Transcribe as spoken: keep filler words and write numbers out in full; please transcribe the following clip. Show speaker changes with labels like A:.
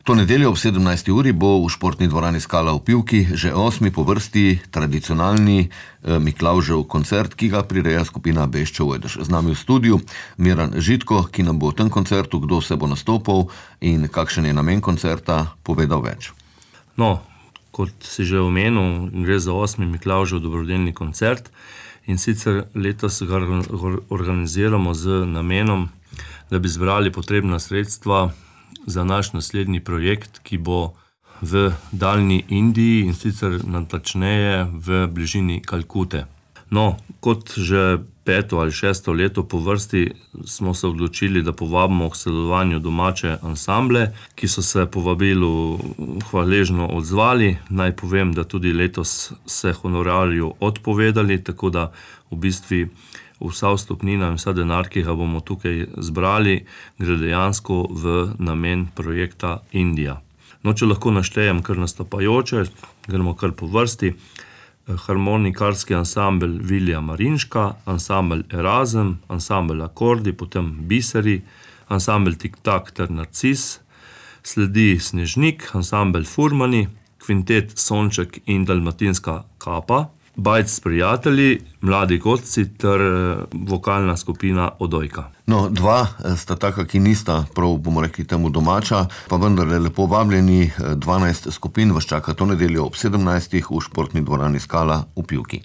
A: To nedeljo ob sedemnajsti uri bo v športni dvorani Skala v Pivki že osmi po vrsti tradicionalni Miklavžev koncert, ki ga prireja skupina Beščev Ojdež. Z nami v studiu Miran Žitko, ki nam bo v tem koncertu, kdo se bo nastopal in kakšen je namen koncerta, povedal več.
B: No, kot si že omenil, gre za osmi Miklavžev dobrodelni koncert in sicer letos ga organiziramo z namenom, da bi zbrali potrebna sredstva za naš naslednji projekt, ki bo v daljni Indiji in sicer natančneje v bližini Kalkute. No, kot že peto ali šesto leto po vrsti smo se odločili, da povabimo k sodelovanju domače ansamble, ki so se povabilu hvaležno odzvali. Naj povem, da tudi letos se honorarju odpovedali, tako da v bistvu vsa vstopnina in vsa denar, ki ga bomo tukaj zbrali, gre dejansko v namen projekta Indija. No, če lahko naštejem kar nastopajoče, gremo kar po vrsti. Harmonikarski ansambel Vilija Marinška, ansambel Erazem, ansambel Akordi, potem Biseri, ansambel Tik-tak ter Narcis, sledi Snežnik, ansambel Furmani, kvintet Sonček in Dalmatinska kapa, Bajc s prijatelji, Mladi godci ter vokalna skupina Odojka.
A: No, dva sta taka, ki nista prav, bomo rekli temu domača, pa vendar lepo vabljeni, dvanajst skupin vas čaka to nedeljo ob sedemnajstih v športni dvorani Skala v Pivki.